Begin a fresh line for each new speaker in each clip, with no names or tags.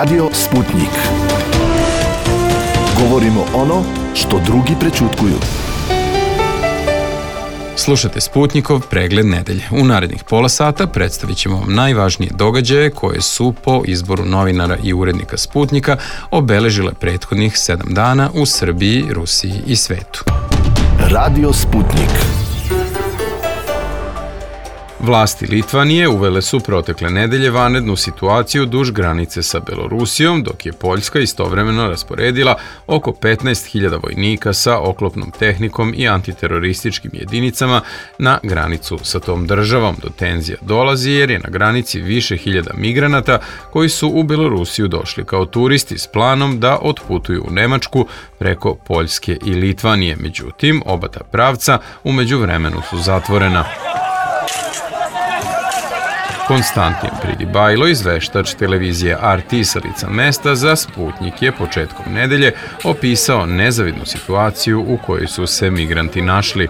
Radio Sputnik. Govorimo ono što drugi prećutkuju.
Slušate Sputnikov pregled nedelje. U narednih pola sata predstavit ćemo vam najvažnije događaje koje su po izboru novinara i urednika Sputnika obeležile prethodnih 7 dana u Srbiji, Rusiji i svetu.
Radio Sputnik.
Vlasti Litvanije uvele su protekle nedelje vanrednu situaciju duž granice sa Belorusijom, dok je Poljska istovremeno rasporedila oko 15.000 vojnika sa oklopnom tehnikom i antiterorističkim jedinicama na granicu sa tom državom. Do tenzija dolazi jer je na granici više hiljada migranata koji su u Belorusiju došli kao turisti s planom da otputuju u Nemačku preko Poljske i Litvanije. Međutim, oba ta pravca u međuvremenu su zatvorena. Konstantin Pridibajlo, izveštač televizije RT sa lica mesta za Sputnik, je početkom nedelje opisao nezavidnu situaciju u kojoj su se migranti našli.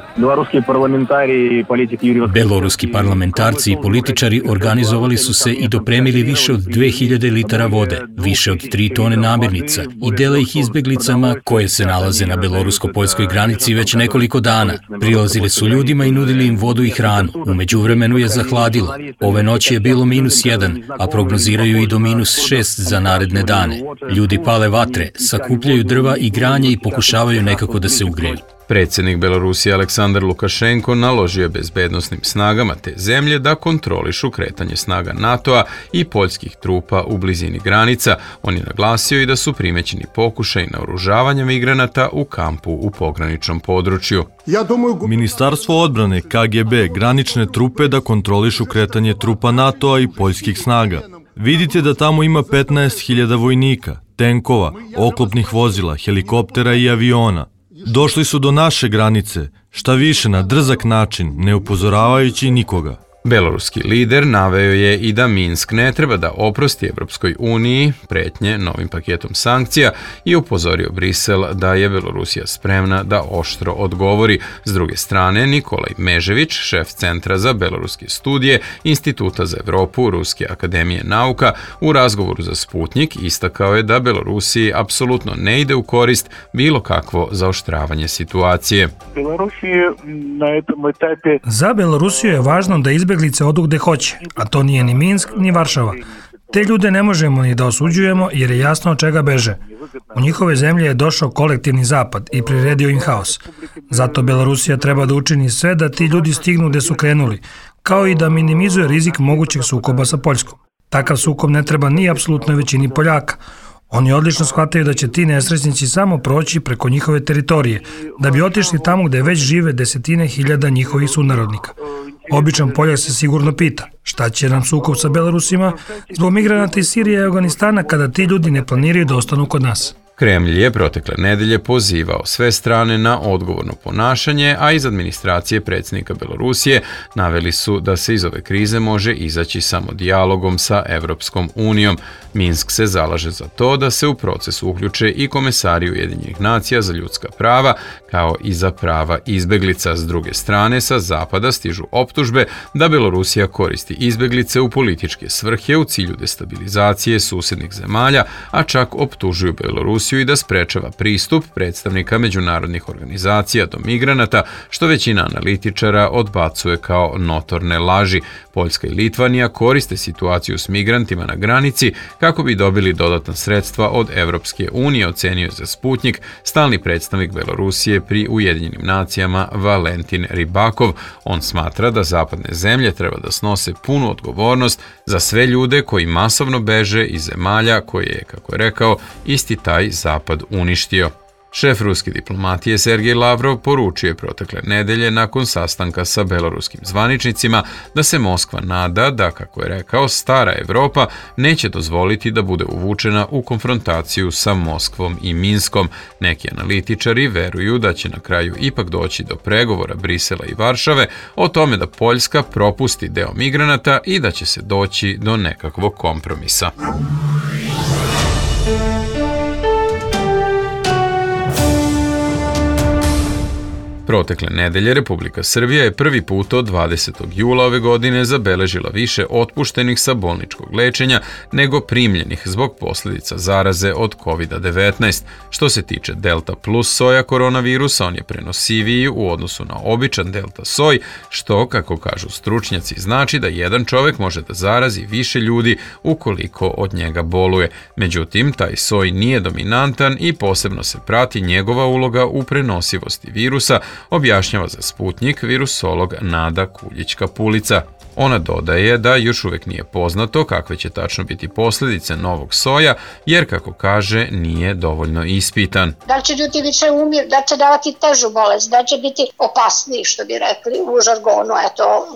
Beloruski parlamentarci i političari organizovali su se i dopremili više od 2000 litara vode, više od 3 tone namirnica i dele ih izbeglicama koje se nalaze na belorusko-poljskoj granici već nekoliko dana. Prilazili su ljudima i nudili im vodu i hranu. U međuvremenu je zahladilo. Ove noći je bilo -1, a prognoziraju i do -6 za naredne dane. Ljudi pale vatre, sakupljaju drva i granje i pokušavaju nekako da se ugreju.
Predsjednik Belorusije Aleksandar Lukašenko naložio je bezbednosnim snagama te zemlje da kontrolišu kretanje snaga NATO-a i poljskih trupa u blizini granica. On je naglasio i da su primećeni pokušaj naoružavanja migranata u kampu u pograničnom području.
Ministarstvo odbrane, KGB, granične trupe da kontrolišu kretanje trupa NATO-a i poljskih snaga. Vidite da tamo ima 15.000 vojnika, tenkova, oklopnih vozila, helikoptera i aviona. Došli su do naše granice, šta više na drzak način, ne upozoravajući nikoga.
Beloruski lider naveo je i da Minsk ne treba da oprosti Evropskoj uniji pretnje novim paketom sankcija i upozorio Brisel da je Belorusija spremna da oštro odgovori. S druge strane, Nikolaj Mežević, šef Centra za beloruske studije Instituta za Evropu Ruske akademije nauka, u razgovoru za Sputnik istakao je da Belorusiji apsolutno ne ide u korist bilo kakvo zaoštravanje situacije.
Za Belorusiju je važno da izbeglice odu gde hoće, a to nije ni Minsk, ni Varšava. Te ljude ne možemo ni da osuđujemo jer je jasno od čega beže. U njihove zemlje je došao kolektivni zapad i priredio im haos. Zato Belorusija treba da učini sve da ti ljudi stignu gde su krenuli, kao i da minimizuje rizik mogućeg sukoba sa Poljskom. Takav sukob ne treba ni apsolutnoj većini Poljaka. Oni odlično shvataju da će ti nesrećnici samo proći preko njihove teritorije, da bi otišli tamo gde već žive desetine hiljada njihovih sunarodnika. Običan Poljak se sigurno pita šta će nam sukob sa Belorusima zbog migranata iz Sirije i Afganistana kada ti ljudi ne planiraju da ostanu kod nas.
Kremlj je protekle nedelje pozivao sve strane na odgovorno ponašanje, a iz administracije predsjednika Belorusije naveli su da se iz ove krize može izaći samo dijalogom sa Evropskom unijom. Minsk se zalaže za to da se u proces uključe i komesari Ujedinjenih nacija za ljudska prava, kao i za prava izbeglica. S druge strane, sa zapada stižu optužbe da Belorusija koristi izbeglice u političke svrhe u cilju destabilizacije susednih zemalja, a čak optužuju Belorusiju i da sprečava pristup predstavnika međunarodnih organizacija do migranata, što većina analitičara odbacuje kao notorne laži. Poljska i Litvanija koriste situaciju s migrantima na granici kako bi dobili dodatna sredstva od Evropske unije, ocenio za Sputnik stalni predstavnik Belorusije pri Ujedinjenim nacijama Valentin Ribakov. On smatra da zapadne zemlje treba da snose punu odgovornost za sve ljude koji masovno beže iz zemalja koje je, kako je rekao, isti taj zapad uništio. Šef ruske diplomatije Sergej Lavrov poručio je protekle nedelje nakon sastanka sa beloruskim zvaničnicima da se Moskva nada da, kako je rekao, stara Evropa neće dozvoliti da bude uvučena u konfrontaciju sa Moskvom i Minskom. Neki analitičari veruju da će na kraju ipak doći do pregovora Brisela i Varšave o tome da Poljska propusti deo migranata i da će se doći do nekakvog kompromisa. Protekle nedelje Republika Srbija je prvi put od 20. jula ove godine zabeležila više otpuštenih sa bolničkog lečenja nego primljenih zbog posljedica zaraze od COVID-19. Što se tiče Delta plus soja koronavirusa, on je prenosiviji u odnosu na običan Delta soj, što, kako kažu stručnjaci, znači da jedan čovjek može da zarazi više ljudi ukoliko od njega boluje. Međutim, taj soj nije dominantan i posebno se prati njegova uloga u prenosivosti virusa, objašnjava za Sputnjik virusolog Nada Kuljić-Kapulica. Ona dodaje da još uvijek nije poznato kakve će tačno biti posljedice novog soja, jer, kako kaže, nije dovoljno ispitan.
Da li će ljudi više umirati, da će davati težu bolest, da će biti opasniji, što bi rekli u žargonu,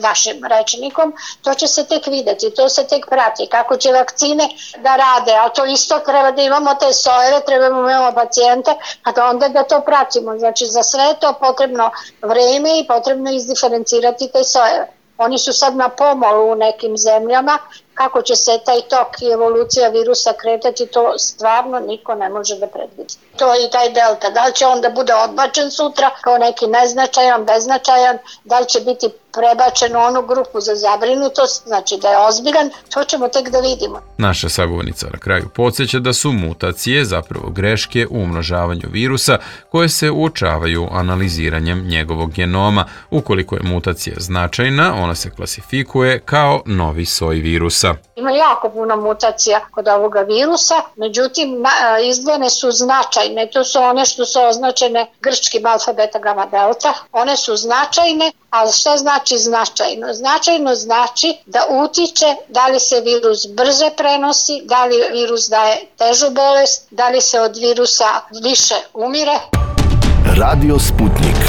vašim rečnikom, to će se tek vidjeti, to se tek prati, kako će vakcine da rade, a to isto treba da imamo te sojeve, trebamo da imamo pacijente, a onda da to pratimo. Znači, za sve to potrebno vreme i potrebno izdiferencirati te sojeve. Oni su sad na pomolu u nekim zemljama. Kako će se taj tok i evolucija virusa kretati, to stvarno niko ne može da predvidi. To je i taj delta. Da li će on da bude odbačen sutra kao neki neznačajan, beznačajan, da li će biti prebačen u onu grupu za zabrinutost, znači da je ozbiljan, to ćemo tek da vidimo.
Naša sagovornica na kraju podsjeća da su mutacije zapravo greške u umnožavanju virusa koje se uočavaju analiziranjem njegovog genoma. Ukoliko je mutacija značajna, ona se klasifikuje kao novi soj virusa.
Ima jako puno mutacija kod ovoga virusa, međutim izdvojene su značajne, to su one što su označene grčkim alfa, beta, gamma, delta, one su značajne, ali šta znači značajno? Značajno znači da utiče da li se virus brže prenosi, da li virus daje težu bolest, da li se od virusa više umire.
Radio Sputnik.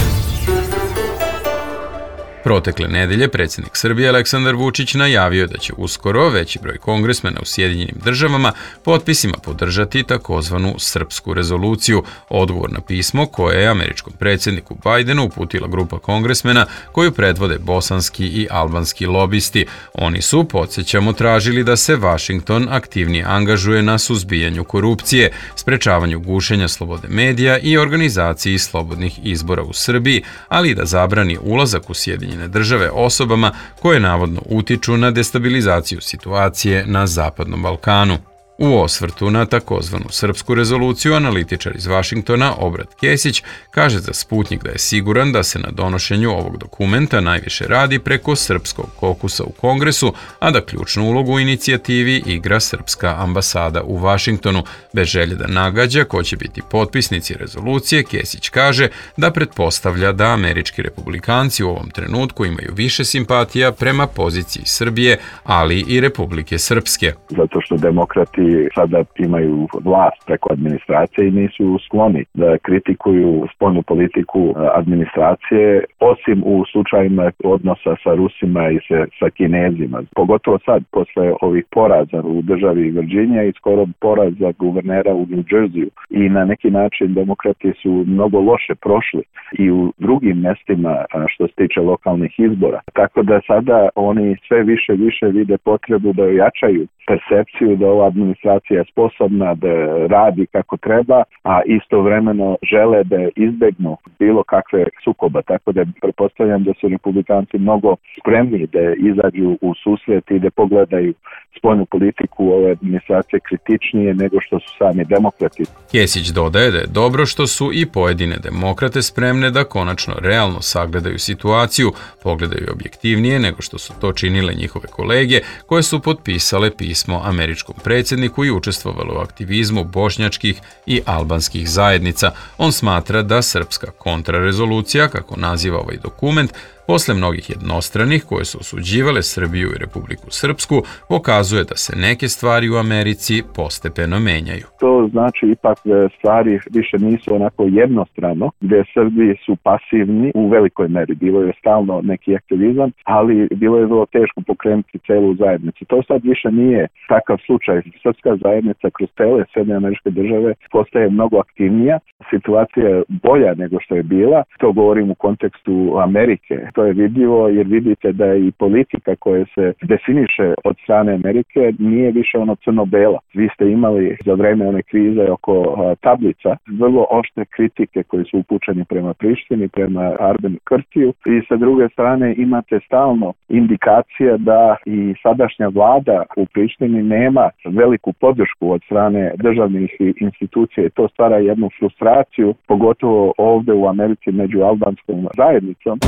Protekle nedelje predsjednik Srbije Aleksandar Vučić najavio da će uskoro veći broj kongresmena u Sjedinjenim državama potpisima podržati takozvanu srpsku rezoluciju, odgovor na pismo koje je američkom predsjedniku Bajdenu uputila grupa kongresmena koju predvode bosanski i albanski lobisti. Oni su, podsjećamo, tražili da se Vašington aktivnije angažuje na suzbijanju korupcije, sprečavanju gušenja slobode medija i organizaciji slobodnih izbora u Srbiji, ali i da zabrani ulazak u Sjedinjene države osobama koje navodno utiču na destabilizaciju situacije na Zapadnom Balkanu. U osvrtu na takozvanu srpsku rezoluciju analitičar iz Vašingtona Obrat Kesić kaže za Sputnjik da je siguran da se na donošenju ovog dokumenta najviše radi preko srpskog kokusa u Kongresu, a da ključnu ulogu u inicijativi igra srpska ambasada u Vašingtonu. Bez želje da nagađa ko će biti potpisnici rezolucije, Kesić kaže da pretpostavlja da američki republikanci u ovom trenutku imaju više simpatija prema poziciji Srbije, ali i Republike Srpske.
Zato što demokrati sada imaju vlast preko administracije i nisu skloni da kritikuju spoljnu politiku administracije, osim u slučajima odnosa sa Rusima i sa Kinezima. Pogotovo sad, posle ovih poraza u državi Virginia i skoro poraza guvernera u New Jerseyu. I na neki način demokrati su mnogo loše prošli i u drugim mestima što se tiče lokalnih izbora. Tako da sada oni sve više vide potrebu da ojačaju percepciju da ova administracija je sposobna da radi kako treba, a istovremeno žele da izbegnu bilo kakve sukoba. Tako da pretpostavljam da su republikanci mnogo spremni da izađu u susret i da pogledaju spoljnu politiku ove administracije kritičnije nego što su sami demokrati.
Kesić dodaje da je dobro što su i pojedine demokrate spremne da konačno realno sagledaju situaciju, pogledaju objektivnije nego što su to činile njihove kolege koje su potpisale pismo američkom predsjedniku i učestvovale u aktivizmu bošnjačkih i albanskih zajednica. On smatra da srpska kontrarezolucija, kako naziva ovaj dokument, posle mnogih jednostranih koje su osuđivale Srbiju i Republiku Srpsku, pokazuje da se neke stvari u Americi postepeno menjaju.
To znači ipak da stvari više nisu onako jednostrano, gdje Srbi su pasivni u velikoj meri. Bilo je stalno neki aktivizam, ali bilo je vrlo teško pokrenuti celu zajednicu. To sad više nije takav slučaj. Srpska zajednica kroz cele Sjedinjene Američke Države postaje mnogo aktivnija. Situacija je bolja nego što je bila. To govorim u kontekstu Amerike. to je vidljivo jer vidite da je i politika koja se definiše od strane Amerike nije više ono crno-bela. Vi ste imali za vreme one krize oko tablica vrlo oštre kritike koje su upućene prema Prištini, prema Arbenu Kurtiju i sa druge strane imate stalno indikacija da i sadašnja vlada u Prištini nema veliku podršku od strane državnih institucija i to stvara jednu frustraciju, pogotovo ovdje u Americi među albanskom zajednicom.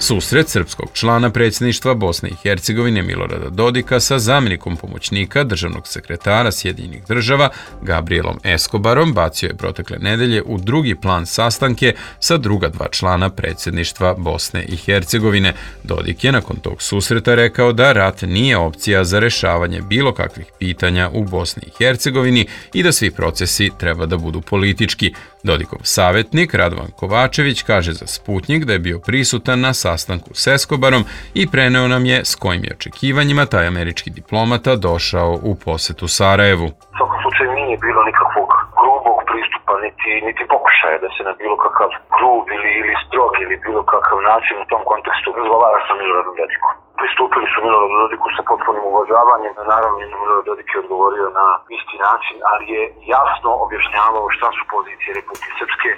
Susret srpskog člana predsjedništva Bosne i Hercegovine Milorada Dodika sa zamjenikom pomoćnika državnog sekretara Sjedinjenih država Gabrielom Escobarom bacio je protekle nedelje u drugi plan sastanke sa druga dva člana predsjedništva Bosne i Hercegovine. Dodik je nakon tog susreta rekao da rat nije opcija za rješavanje bilo kakvih pitanja u Bosni i Hercegovini i da svi procesi treba da budu politički. Dodikov savjetnik Radovan Kovačević kaže za Sputnik da je bio prisutan na sastanku s Escobarom i preneo nam je s kojim je očekivanjima taj američki diplomata došao u posjetu Sarajevu.
U svakom slučaju nije bilo nikakvog grubog pristupa, niti pokušaja da se na bilo kakav grub ili strog ili bilo kakav način u tom kontekstu razgovara sa Miloradom Dodikom. Pristupili su Miloradu Dodiku sa potpunim uvažavanjem, naravno Milorad Dodik je odgovorio na isti način, ali je jasno objašnjavao šta su pozicije Republike Srpske,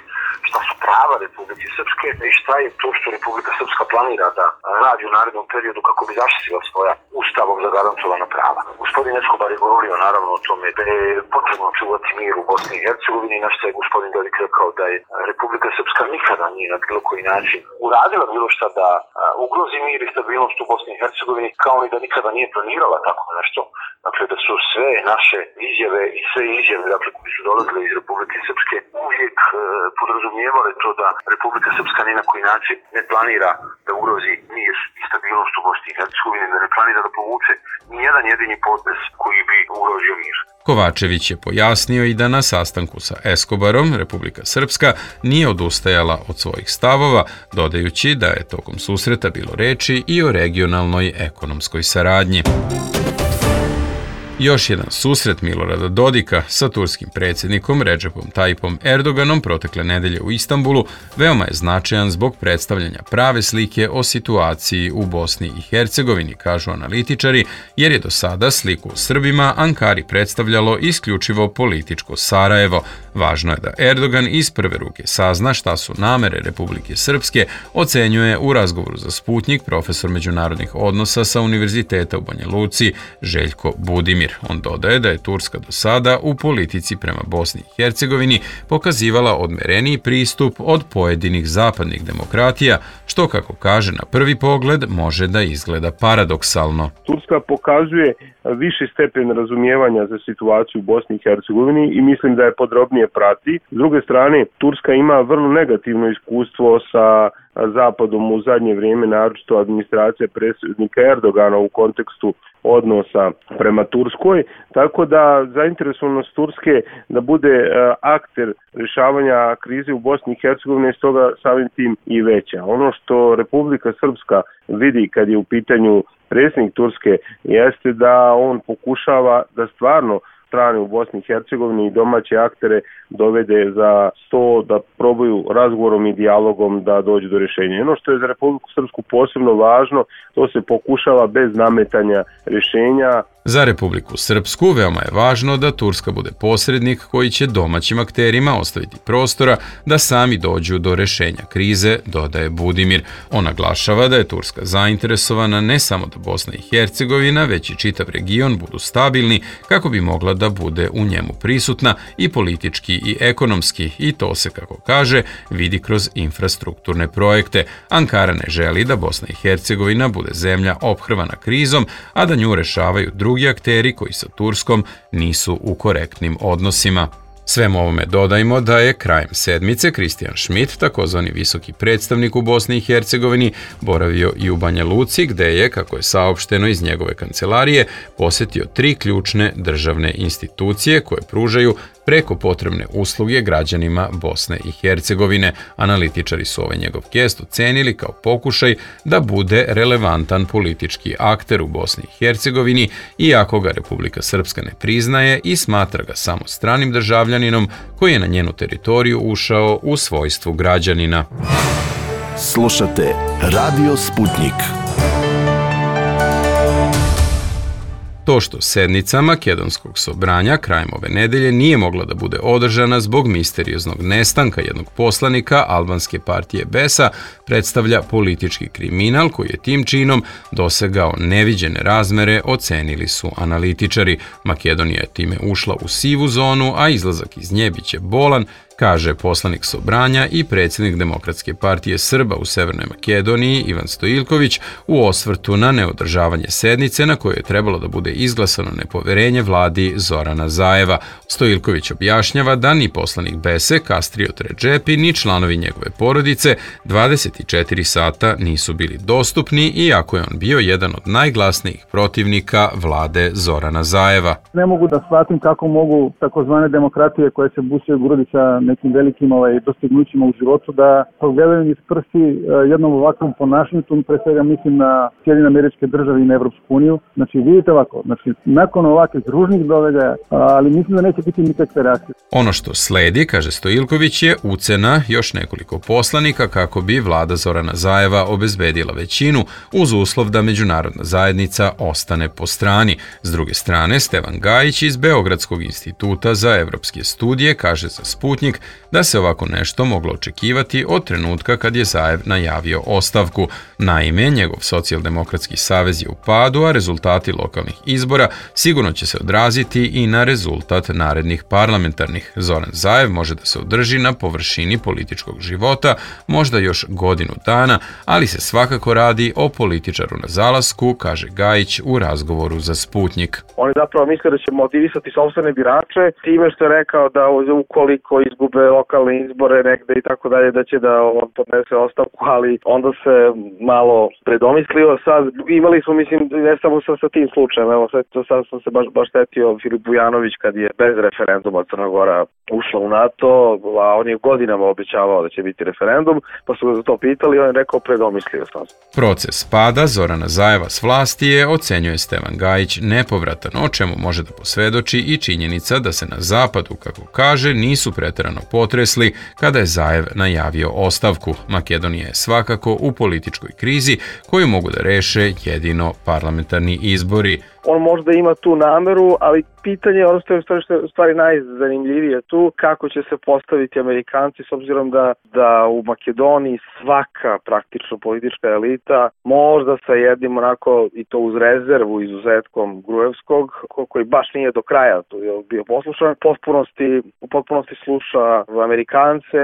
šta su prava Republike Srpske i šta je to što Republika Srpska planira da radi u narednom periodu kako bi zaštitila svoja ustavom zagarantovana prava. Gospodin Escobar je govorio naravno o tome da je potrebno čuvati mir u Bosni i Hercegovini, na što je gospodin Dodik rekao da je Republika Srpska nikada nije na bilo koji način uradila bilo šta da ugrozi mir i stabilnost u Bosni i Hercegovini, kao i da nikada nije planirala tako nešto. Dakle, da su sve naše izjave i sve izjave koje su dolazile iz Republike Srpske uvijek podrazumijevale to da Republika Srpska ni na koji način ne planira da ugrozi mir i stabilnost u Bosni i Hercegovini, da ne planira da povuče ni jedan jedini potez koji bi ugrozio mir.
Kovačević je pojasnio i da na sastanku sa Escobarom Republika Srpska nije odustajala od svojih stavova, dodajući da je tokom susreta bilo reči i o regionalnoj ekonomskoj saradnji. Još jedan susret Milorada Dodika sa turskim predsjednikom Recepom Tayyipom Erdoganom protekle nedelje u Istanbulu veoma je značajan zbog predstavljanja prave slike o situaciji u Bosni i Hercegovini, kažu analitičari, jer je do sada sliku o Srbima Ankari predstavljalo isključivo političko Sarajevo. Važno je da Erdogan iz prve ruke sazna šta su namere Republike Srpske, ocenjuje u razgovoru za Sputnik profesor međunarodnih odnosa sa Univerziteta u Banja Luci Željko Budimir. On dodaje da je Turska do sada u politici prema Bosni i Hercegovini pokazivala odmereniji pristup od pojedinih zapadnih demokratija, što, kako kaže na prvi pogled, može da izgleda paradoksalno.
Turska pokazuje viši stepen razumijevanja za situaciju u Bosni i Hercegovini i mislim da je podrobnije prati. S druge strane, Turska ima vrlo negativno iskustvo sa Zapadom u zadnje vrijeme, naročito administracija predsjednika Erdogana u kontekstu odnosa prema Turskoj, tako da zainteresovanost Turske da bude akter rješavanja krize u Bosni i Hercegovini je stoga samim tim i veća. Ono što Republika Srpska vidi kad je u pitanju predsjednik Turske jeste da on pokušava da stvarno strane u Bosni i Hercegovini i domaće aktere dovede za sto da probaju razgovorom i dijalogom da dođu do rješenja. Ono što je za Republiku Srpsku posebno važno, to se pokušava bez nametanja rješenja.
Za Republiku Srpsku veoma je važno da Turska bude posrednik koji će domaćim akterima ostaviti prostora da sami dođu do rješenja krize, dodaje Budimir. On naglašava da je Turska zainteresovana ne samo da Bosna i Hercegovina, već i čitav region budu stabilni kako bi mogla da bude u njemu prisutna i politički i ekonomski, i to se, kako kaže, vidi kroz infrastrukturne projekte. Ankara ne želi da Bosna i Hercegovina bude zemlja ophrvana krizom, a da nju rešavaju drugi akteri koji sa Turskom nisu u korektnim odnosima. Svemu ovome dodajmo da je krajem sedmice Kristijan Schmidt, takozvani visoki predstavnik u Bosni i Hercegovini, boravio i u Banja Luci, gde je, kako je saopšteno iz njegove kancelarije, posjetio 3 ključne državne institucije koje pružaju preko potrebne usluge građanima Bosne i Hercegovine. Analitičari su ovaj njegov gest ocenili kao pokušaj da bude relevantan politički akter u Bosni i Hercegovini, iako ga Republika Srpska ne priznaje i smatra ga samo stranim državljaninom koji je na njenu teritoriju ušao u svojstvu građanina.
Slušate Radio Sputnik.
To što sednica Makedonskog sobranja krajem ove nedelje nije mogla da bude održana zbog misterioznog nestanka jednog poslanika albanske partije BES-a predstavlja politički kriminal koji je tim činom dosegao neviđene razmere, ocenili su analitičari. Makedonija je time ušla u sivu zonu, a izlazak iz nje biće bolan, kaže poslanik Sobranja i predsjednik Demokratske partije Srba u Severnoj Makedoniji Ivan Stojiljković u osvrtu na neodržavanje sednice na kojoj je trebalo da bude izglasano nepoverenje vladi Zorana Zajeva. Stojiljković objašnjava da ni poslanik BES-e Kastriot Redžepi ni članovi njegove porodice 24 sata nisu bili dostupni, iako je on bio jedan od najglasnijih protivnika vlade Zorana Zajeva.
Ne mogu da shvatim kako mogu takozvane demokratije koje se busaju grudi sa nekim velikim dostignućima u životu da pogledaju iz prsti jednom ovakvom ponašanju, tu pre svega mislim na Sjedinjene Američke Države i na Evropsku uniju. Znači vidite ovako, nakon ovakvih ružnih događaja, ali mislim da neće biti nikakve reakcije.
Ono što sledi, kaže Stojiljković, je ucena još nekoliko poslanika kako bi vlada Zorana Zajeva obezbedila većinu uz uslov da međunarodna zajednica ostane po strani. S druge strane, Stevan Gajić iz Beogradskog instituta za evropske studije kaže za Sputnik da se ovako nešto moglo očekivati od trenutka kad je Zajev najavio ostavku. Naime, njegov socijaldemokratski savez je u padu, a rezultati lokalnih izbora sigurno će se odraziti i na rezultat narednih parlamentarnih. Zoran Zajev može da se održi na površini političkog života možda još godinu dana, ali se svakako radi o političaru na zalasku, kaže Gajić u razgovoru za Sputnik.
Oni zapravo misle da će motivisati sopstvene birače time što je rekao da ukoliko izgube lokalne izbore negde i tako dalje, da će da on podnese ostavku, ali onda se malo predomislio. Sad imali smo, mislim, ne samo sa tim slučajem, evo sad sam se baš setio Filip Vujanović kad je bez referenduma Crna Gora ušla u NATO, a on je godinama obećavao da će biti referendum, pa su ga za to pitali i on je rekao predomislio sam se.
Proces pada Zorana Zajeva s vlasti je, ocenjuje Stevan Gajić, nepovratan, o čemu može da posvedoči i činjenica da se na zapadu, kako kaže, nisu preterano potresli kada je Zajev najavio ostavku. Makedonija je svakako u političkoj krizi koju mogu da reše jedino parlamentarni izbori.
On možda ima tu nameru, ali pitanje, ono što je u stvari najzanimljivije tu, kako će se postaviti Amerikanci s obzirom da u Makedoniji svaka praktično politička elita, možda sa jednim onako i to uz rezervu izuzetkom Gruevskog, koji baš nije do kraja tu je bio poslušan, u potpunosti sluša Amerikance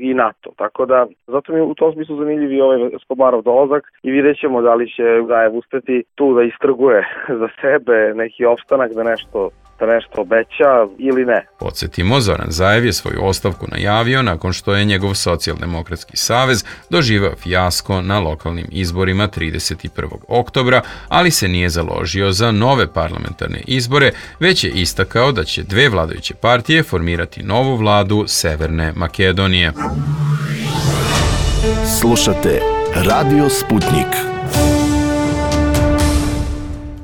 i NATO. Tako da, zato mi u tom smislu zanimljiv i ovaj Escobarov dolazak i vidjet ćemo da li će Zajev uspeti tu da istrguje za sebe neki opstanak da nešto obeća ili ne.
Podsjetimo, Zoran Zajev je svoju ostavku najavio nakon što je njegov socijaldemokratski savez doživeo fijasko na lokalnim izborima 31. oktobra, ali se nije založio za nove parlamentarne izbore, već je istakao da će dve vladajuće partije formirati novu vladu Severne Makedonije.
Slušate Radio Sputnik.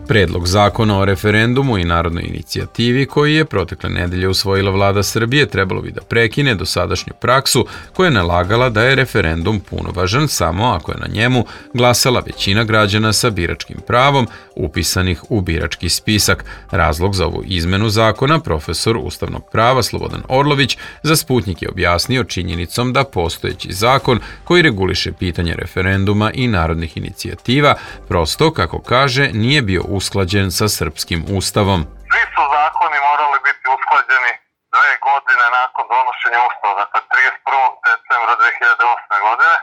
Predlog zakona o referendumu i narodnoj inicijativi koji je protekle nedelje usvojila vlada Srbije trebalo bi da prekine dosadašnju praksu koja je nalagala da je referendum punovažan samo ako je na njemu glasala većina građana sa biračkim pravom upisanih u birački spisak. Razlog za ovu izmenu zakona profesor ustavnog prava Slobodan Orlović za Sputnik je objasnio činjenicom da postojeći zakon koji reguliše pitanje referenduma i narodnih inicijativa prosto, kako kaže, nije bio usklađen sa srpskim ustavom.
Svi su zakoni morali biti usklađeni 2 godine nakon donošenja ustava, dakle 31. decembra 2008. godine,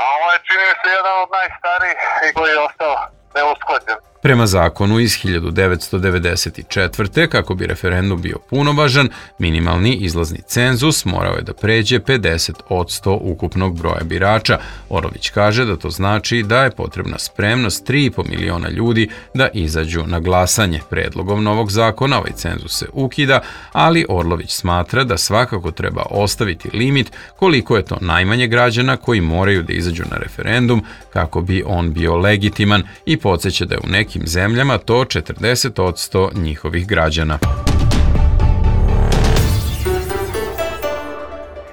a ovo je, čini mi se, jedan od najstarijih koji je ostao neusklađen.
Prema zakonu iz 1994. kako bi referendum bio punovažan, minimalni izlazni cenzus morao je da pređe 50% ukupnog broja birača. Orlović kaže da to znači da je potrebna spremnost 3,5 miliona ljudi da izađu na glasanje. Predlogom novog zakona ovaj cenzus se ukida, ali Orlović smatra da svakako treba ostaviti limit koliko je to najmanje građana koji moraju da izađu na referendum kako bi on bio legitiman i podsjeća da je u nekim zemljama to 40% njihovih građana.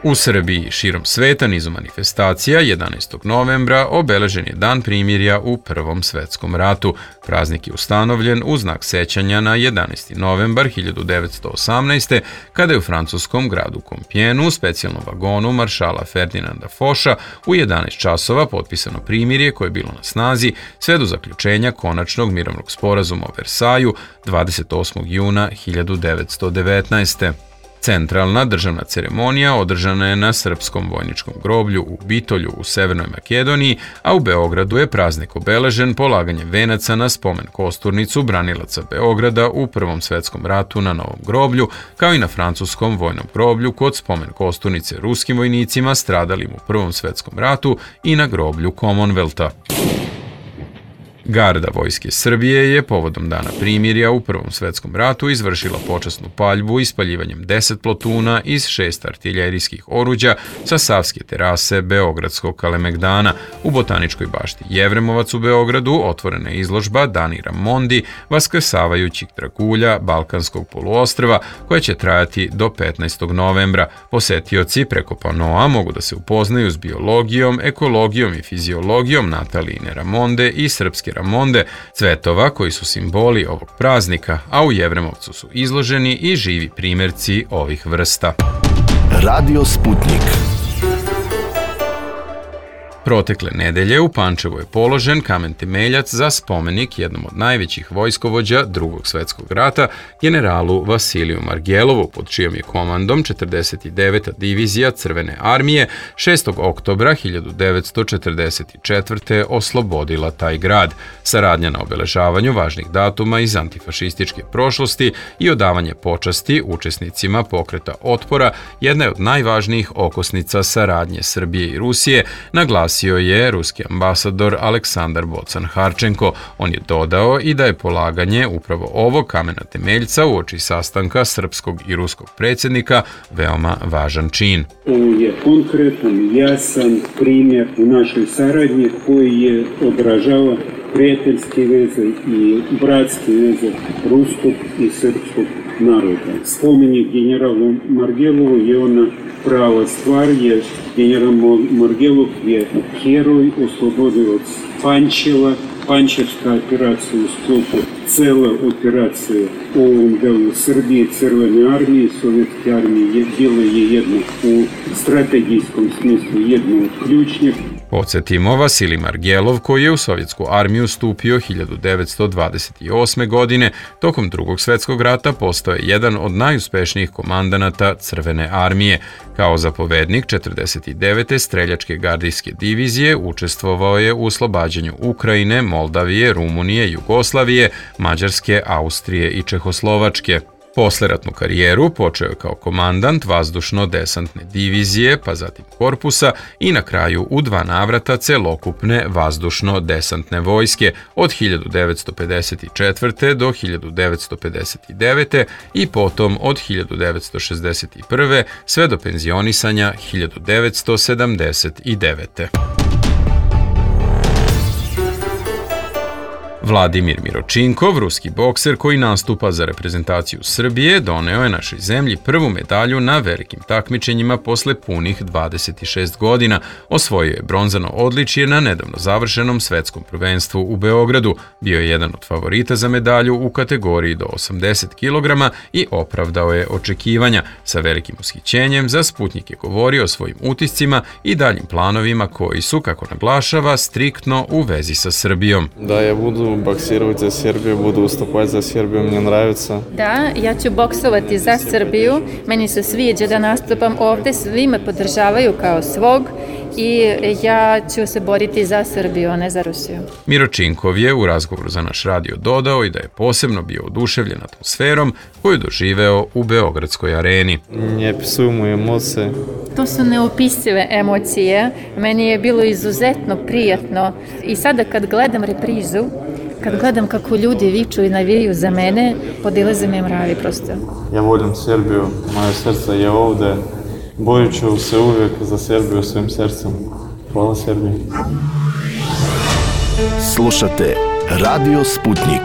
U Srbiji i širom sveta nizu manifestacija 11. novembra obeležen je Dan primirja u Prvom svetskom ratu. Praznik je ustanovljen u znak sećanja na 11. novembar 1918. kada je u francuskom gradu Kompjenu u specijalnom vagonu maršala Ferdinanda Foša u 11 časova potpisano primirje koje je bilo na snazi sve do zaključenja konačnog mirovnog sporazuma o Versaju 28. juna 1919. Centralna državna ceremonija održana je na Srpskom vojničkom groblju u Bitolju u Severnoj Makedoniji, a u Beogradu je praznik obeležen polaganjem venaca na spomen kosturnicu branilaca Beograda u Prvom svetskom ratu na Novom groblju, kao i na francuskom vojnom groblju kod spomen kosturnice ruskim vojnicima stradalim u Prvom svetskom ratu i na groblju Commonwealtha. Garda Vojske Srbije je povodom Dana primirja u Prvom svetskom ratu izvršila počasnu paljbu ispaljivanjem 10 plotuna iz 6 artiljerijskih oruđa sa Savske terase Beogradskog Kalemegdana. U Botaničkoj bašti Jevremovac u Beogradu otvorena je izložba Danira Mondi, vaskrsavajućih dragulja Balkanskog poluostrva, koja će trajati do 15. novembra. Posetioci preko panoa mogu da se upoznaju s biologijom, ekologijom i fiziologijom Natalijine Ramonde i srpske Ramonde, cvetova koji su simboli ovog praznika, a u Jevremovcu su izloženi i živi primjerci ovih vrsta.
Radio Sputnik.
Protekle nedelje u Pančevu je položen kamen temeljac za spomenik jednom od najvećih vojskovođa Drugog svetskog rata, generalu Vasiliju Margelovu, pod čijom je komandom 49. divizija Crvene armije 6. oktobra 1944. oslobodila taj grad. Saradnja na obeležavanju važnih datuma iz antifašističke prošlosti i odavanje počasti učesnicima pokreta otpora jedna je od najvažnijih okosnica saradnje Srbije i Rusije, naglasio je ruski ambasador Aleksandar Bocan-Harčenko. On je dodao i da je polaganje upravo ovog kamena temeljca uoči sastanka srpskog i ruskog predsjednika veoma važan čin.
Ovo je konkretan, jasan primjer u našoj saradnji koji je odražava prijateljske veze i bratske veze ruskog i srpskog naroda. Spomenik generalu Margelovu je ona prava stvar, jer general Margelov je heroj, oslobodilac Pančeva. Pančevska operacija u sklopu cele operacije u ovom delu Srbije, Crvene armije, Sovjetske armije bila je jedna u strategijskom smislu jedna od ključnih.
Podsjetimo, Vasilij Margelov, koji je u Sovjetsku armiju stupio 1928. godine, tokom Drugog svjetskog rata postao je jedan od najuspešnijih komandanata Crvene armije. Kao zapovednik 49. streljačke gardijske divizije učestvovao je u oslobađanju Ukrajine, Moldavije, Rumunije, Jugoslavije, Mađarske, Austrije i Čehoslovačke. Posleratnu karijeru počeo je kao komandant vazdušno-desantne divizije, pa zatim korpusa i na kraju u 2 navrata celokupne vazdušno-desantne vojske od 1954. do 1959. i potom od 1961. sve do penzionisanja 1979. Vladimir Miročinkov, ruski bokser koji nastupa za reprezentaciju Srbije, doneo je našoj zemlji prvu medalju na velikim takmičenjima posle punih 26 godina. Osvojio je bronzano odličje na nedavno završenom svetskom prvenstvu u Beogradu. Bio je jedan od favorita za medalju u kategoriji do 80 kg i opravdao je očekivanja. Sa velikim ushićenjem za Sputnik je govorio o svojim utiscima i daljim planovima koji su, kako naglašava, striktno u vezi sa Srbijom.
Da, ja budu boksirati za Srbiju, budu ustupati za Srbiju, meni nravится.
Da, ja ću boksovati za Srbiju, meni se sviđa da nastupam ovde, svi me podržavaju kao svog i ja ću se boriti za Srbiju, a ne za Rusiju.
Miročinkov je u razgovoru za naš radio dodao i da je posebno bio oduševljen atmosferom koju je doživeo u Beogradskoj areni.
Ne opisujem emocije.
To su neopisive emocije, meni je bilo izuzetno prijatno i sada kad gledam reprizu, kad gledam kako ljudi viču i navijaju za mene, podilaze me mravi prosto.
Ja volim Srbiju, moje srce je ovde, borit ću se uvijek za Srbiju svojim srcem. Hvala Srbiji.
Slušate Radio Sputnik.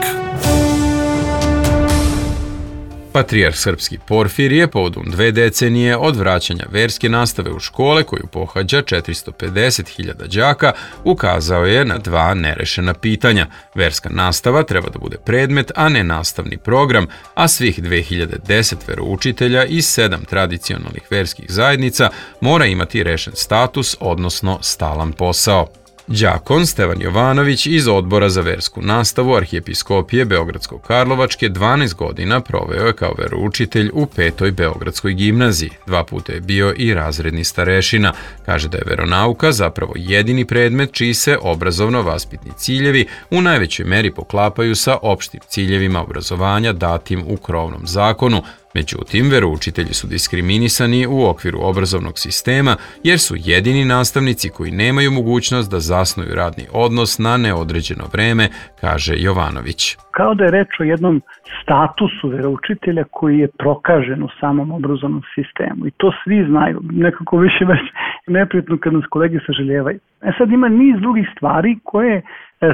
Patrijarh srpski Porfirije povodom 2 decenije od vraćanja verske nastave u škole koju pohađa 450.000 đaka ukazao je na 2 nerešena pitanja. Verska nastava treba da bude predmet, a ne nastavni program, a svih 2010 veroučitelja iz 7 tradicionalnih verskih zajednica mora imati rešen status, odnosno stalan posao. Đakon Stevan Jovanović iz Odbora za versku nastavu Arhijepiskopije Beogradsko-Karlovačke 12 godina proveo je kao veroučitelj u 5. Beogradskoj gimnaziji. 2 puta je bio i razredni starešina. Kaže da je veronauka zapravo jedini predmet čiji se obrazovno-vaspitni ciljevi u najvećoj meri poklapaju sa opštim ciljevima obrazovanja datim u krovnom zakonu. Međutim, veroučitelji su diskriminisani u okviru obrazovnog sistema jer su jedini nastavnici koji nemaju mogućnost da zasnuju radni odnos na neodređeno vreme, kaže Jovanović.
Kao da je reč o jednom statusu veroučitelja koji je prokažen u samom obrazovnom sistemu i to svi znaju, nekako više već neprijatno kad nas kolege saželjevaju. Sad ima niz drugih stvari koje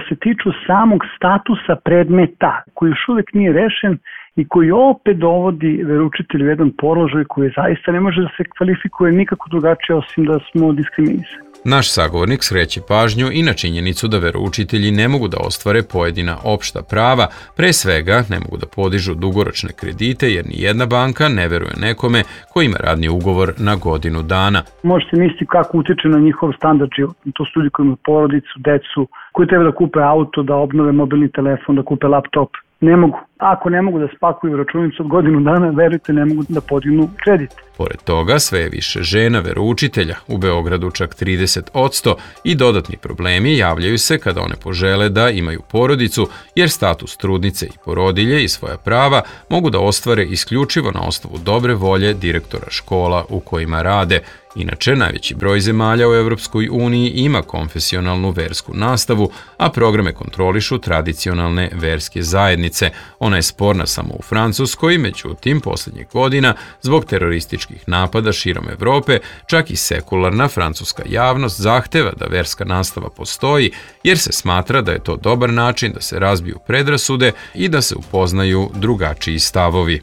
se tiču samog statusa predmeta koji još uvek nije rešen i koji opet dovodi veroučitelj u jedan položaj koji zaista ne može da se kvalifikuje nikako drugačije osim da smo diskriminisani.
Naš sagovornik skreće pažnju i na činjenicu da veroučitelji ne mogu da ostvare pojedina opšta prava, pre svega ne mogu da podižu dugoročne kredite jer ni jedna banka ne veruje nekome ko ima radni ugovor na godinu dana.
Može se misliti kako utiče na njihov standard života. To su ljudi koji imaju porodicu, decu, koji treba da kupe auto, da obnove mobilni telefon, da kupe laptop. Ne mogu. Ako ne mogu da spakuju računicu od godinu dana, verujte, ne mogu da podignu kredit.
Pored toga, sve je više žena veroučitelja, u Beogradu čak 30%, i dodatni problemi javljaju se kada one požele da imaju porodicu, jer status trudnice i porodilje i svoja prava mogu da ostvare isključivo na osnovu dobre volje direktora škola u kojima rade. Inače, najveći broj zemalja u Evropskoj uniji ima konfesionalnu versku nastavu, a programe kontrolišu tradicionalne verske zajednice. Ona je sporna samo u Francuskoj, međutim, posljednjih godina, zbog terorističkih napada širom Evrope, čak i sekularna francuska javnost zahteva da verska nastava postoji, jer se smatra da je to dobar način da se razbiju predrasude i da se upoznaju drugačiji stavovi.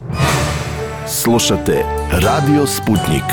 Slušate Radio Sputnik.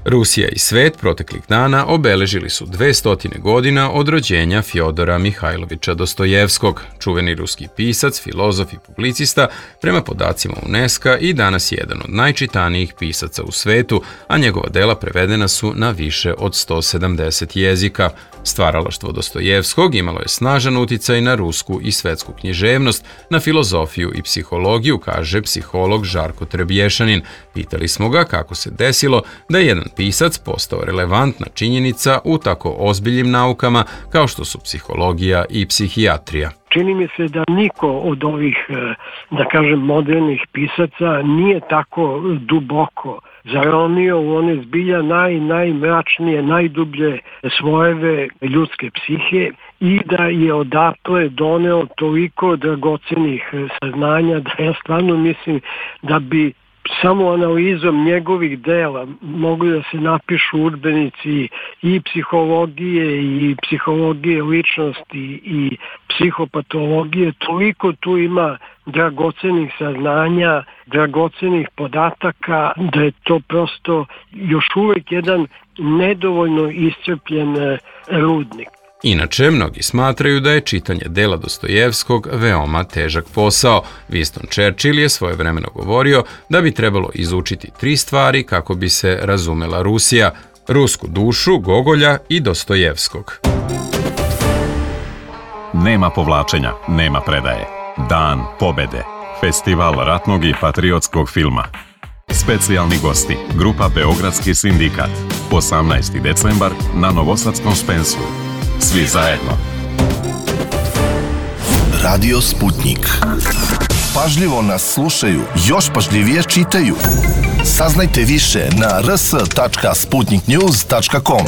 Rusija i svet proteklih dana obeležili su 200 godina od rođenja Fjodora Mihajlovića Dostojevskog, čuveni ruski pisac, filozof i publicista, prema podacima UNESCO i danas jedan od najčitanijih pisaca u svetu, a njegova dela prevedena su na više od 170 jezika. Stvaralaštvo Dostojevskog imalo je snažan uticaj na rusku i svetsku književnost, na filozofiju i psihologiju, kaže psiholog Žarko Trebješanin. Pitali smo ga kako se desilo da je jedan pisac postao relevantna činjenica u tako ozbiljnim naukama kao što su psihologija i psihijatrija.
Čini mi se da niko od ovih, da kažem, modernih pisaca nije tako duboko zaronio u one zbilja najmračnije, najdublje svojeve ljudske psihe i da je odatle doneo toliko dragocenih saznanja da ja stvarno mislim da bi samo analizom njegovih dela mogli da se napišu udžbenici i psihologije ličnosti i psihopatologije. Toliko tu ima dragocenih saznanja, dragocenih podataka da je to prosto još uvijek jedan nedovoljno iscrpljen rudnik.
Inače, mnogi smatraju da je čitanje dela Dostojevskog veoma težak posao. Winston Churchill je svojevremeno govorio da bi trebalo izučiti 3 stvari kako bi se razumela Rusija: rusku dušu, Gogolja i Dostojevskog.
Nema povlačenja, nema predaje. Dan pobede. Festival ratnog i patriotskog filma. Specijalni gosti, grupa Beogradski sindikat. 18. decembar na Novosadskom Spensu. Svi zajedno.
Radio Sputnik. Pažljivo nas slušaju, još pažljivije čitaju. Saznajte više na rs.sputniknews.com.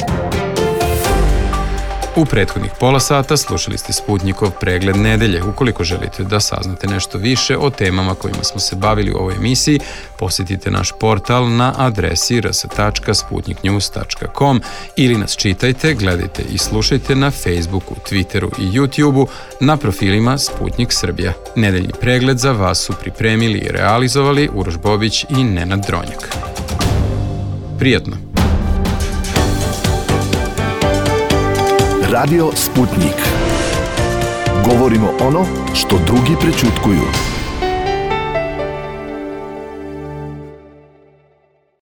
U prethodnih pola sata slušali ste Sputnikov pregled nedelje. Ukoliko želite da saznate nešto više o temama kojima smo se bavili u ovoj emisiji, posjetite naš portal na adresi rs.sputniknews.com ili nas čitajte, gledajte i slušajte na Facebooku, Twitteru i YouTubeu na profilima Sputnik Srbija. Nedeljni pregled za vas su pripremili i realizovali Uroš Bobić i Nenad Dronjak. Prijatno!
Radio Sputnik. Govorimo ono što drugi prećutkuju.